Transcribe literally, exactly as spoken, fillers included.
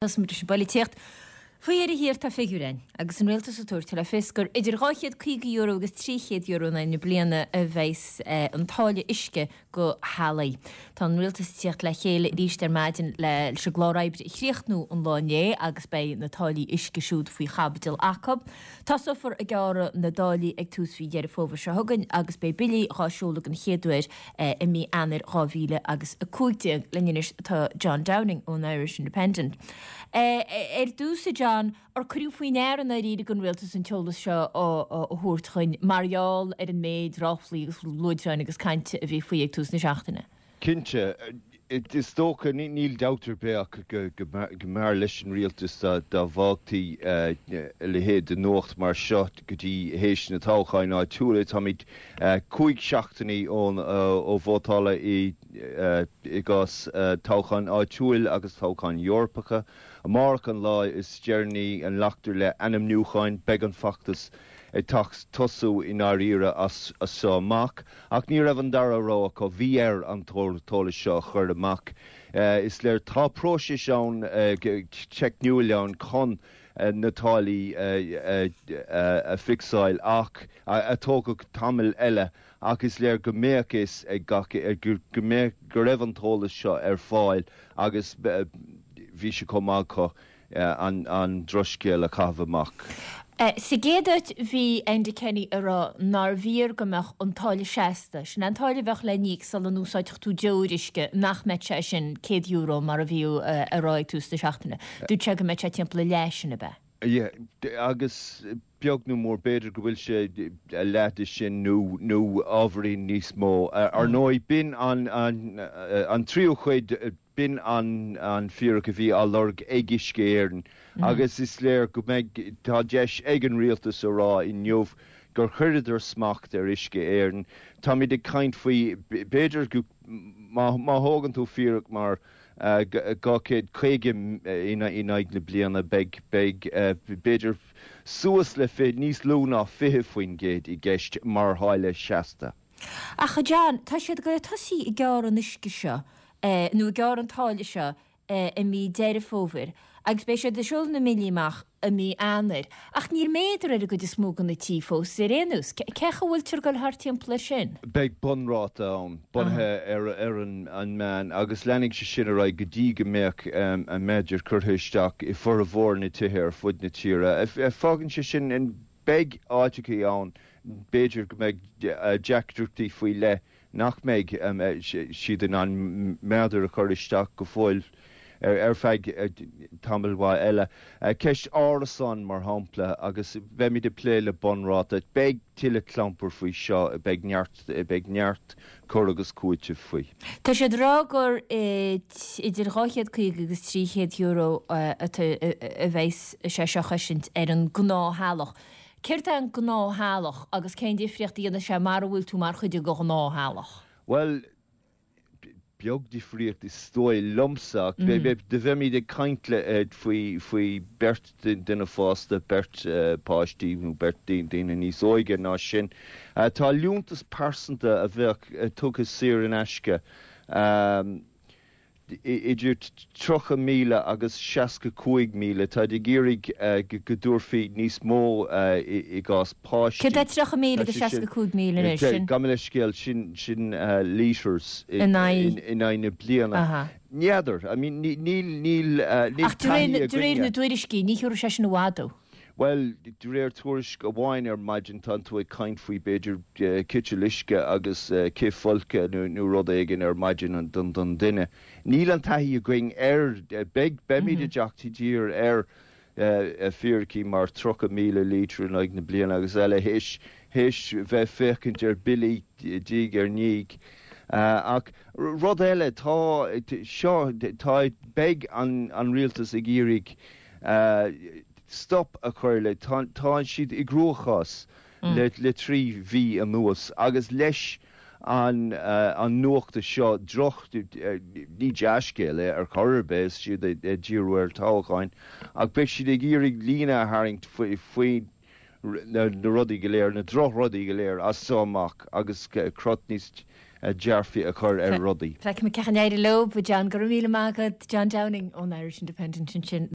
Tosóimid leis an bpolaitíocht. Faoi dheireadh thiar tá figiúr ann, agus an rialtas ag tabhairt le fios gur idir dhá chéad caoga euro agus trí chéad euro in aghaidh na bliana a bheas an táille uisce go theaghlaigh. Tá an rialtas ag tíocht le chéile arís ar maidin leis an gclár oibre a chríochnú an lá inné agus beidh na táillí uisce siúd faoi chaibidil acu. Tosófar ag gearradh na dtáillí ag tús mhí Dheireadh Fómhair seo chugainn agus beidh billí dhá seoladh den chéad uair i mí Eanáir dhá mhíle agus a cúig déag. Linn anois tá John Downing ón Irish Independent. Ar dtús, a John, ar cuireadh faoi ndear i ndáiríre don rialtas an t-eolas seo a thabhairt chugainn mar gheall ar an méid ráflaí agus luaidreáin agus cainte a bhí faoi ag tús na seachtaine? Cinnte. Is dócha, níl dabht ar bith ach go mb'fhearr leis an rialtas dá bhfágtaí a leithéid de nuacht mar seo go dtí théis na toghcháin áitiúla. Táimid cúig seachtainí ó vótáladh i gcás toghcháin áitiúil agus toghcháin Eorpacha. Amárach an lá is deireanaí a nglactar le ainmniúcháin. Beidh an feachtas ag tosú i ndáiríre as seo amach. Ach ní raibh an dara rogha acu, bhí air an t-eolas seo a chur amach. Is léir tá próiseas ann, teicniúil ann chun na táillí a fhixáil ach a tógfadh tamall eile ach is léir go mbeadh fhios ag gach go mbeadh go raibh an t-eolas seo ar fáil agus bhí sé chomh maith acu an drochscéal a chaitheamh amach. Sa gcéad áit bhí Enda Kenny ag rá nár bhfíor go mbeadh an táille seasta, sin an táille a bheadh le n-íoc sula n-úsáidfeadh tú deoir uisce, nach mbeadh sé sin céad euro mar a bhíodh á rá ag tús na seachtaine. Dúirt sé go mbeadh sé timpeall a leath sin, ab ea? Yeah, agus beag nó mór b'fhéidir go bhfuil sé a leath de sin nó nó ábhairín níos mó. Ar ndóigh, b'in an an tríú cuid B'in an an fíric a bhí á lorg ag Uisce Éireann agus is léir go mbeidh, tá deis ag an Rialtas a rá inniu gur chuireadar smacht ar Uisce Éireann. Táimid ag caint faoi, b'fhéidir go, má má thógann tú fíric mar dhá chéad caoga in aghaidh na bliana, beidh, beidh b'fhéidir suas le fiche, níos lú ná fiche faoin gcéad i gceist mar tháille seasta. Ach a John, tá siad ag goil ag tosaí ag gearradh an uisce seo nó ag gearradh an táille seo i mí Deireadh Fómhair agus beidh siad ag seoladh na mbillí amach i mí Eanáir. Ach níl méadar ar an gcuid is mó de na tithe fós ar aon nós. Cé chaoi a bhfuiltear ag goil thart timpeall air sin? Beidh bunráta ann, bunaithe ar an meán, agus leanfaidh sé sin ar aghaidh go dtí go mbeadh an méadar curtha isteach i bhformhór na tithe ar fud na tíre. Fágann sé sin beidh áiteachaí ann, b'fhéidir go mbeidh deacrachtaí faoi leith nach mbeidh siad in ann méadar a chur isteach go fóill ar feadh tamaill mhaith eile. Ceist árasán, mar shampla, agus beimid ag plé le bunráta. Beidh tuilleadh clampair faoi seo, beidh neart, beidh neart cur agus cúitimh faoi. Tá siad ag rá gur idir dhá chéad caoga agus trí chéad euro a bheas sé seo a chosaint ar an gnáth-theaghlach. Céard é an gnáth-theaghlach agus cén difríocht a dhéanfaidh sé mara bhfuil tú mar chuid de ghnáth-theaghlach? Bhuel, beag difríocht is dóigh liomsa, ach do bheimid ag caint le faoi faoi beirt duine fásta, beirt páistí nó beirt daoine níos óige ná sin. Tá liúntas pearsanta a bheadh tugtha saor in aisce. Idir tríocha míle agus seasca cúig míle. Táid ag iarraidh go dtabharfaí níos mó i gcás páistí. Céard é tríocha míle agus seasca cúig míle anois? Sin. Gabh mo leithscéal, sin sin litres in aghaidh na bliana. N'fheadar. I mean níl níl níl Ach de réir de réir na dtuairiscí ní thiúrfaidh sé sin i bhfad thú. Bhuel, de réir tuairisc amháin ar maidin, tánn tú ag caint faoi b'fhéidir citeal uisce agus cith folctha nó rud éigin ar maidin don duine. Níl an taithí againn air. Beidh, beimid ag teacht i dtír ar fíricí mar tríocha míle lítear in aghaidh na bliana agus eile théis, théis bheith féachaint ar billí diaidh ar ndiaidh. Ach rud eile, tá, seo, tá, beidh an, an rialtas ag iarraidh stop a chur le, tá siad i gcruachás le trí mhí anuas agus leis an nuacht seo, droch, ní dea-scéal é ar chor ar bith is siad ag díriú ar toghcháin ach beidh siad ag iarraidh líne a tharraingt faoi na rudaí go léir, na drochrudaí go léir as seo amach agus crot níos dearfaí a chur ar rudaí. Feicfimid cén chaoi a n-éireoidh leo, John. Go raibh míle maith agat, John Downing ón Irish Independent ansin.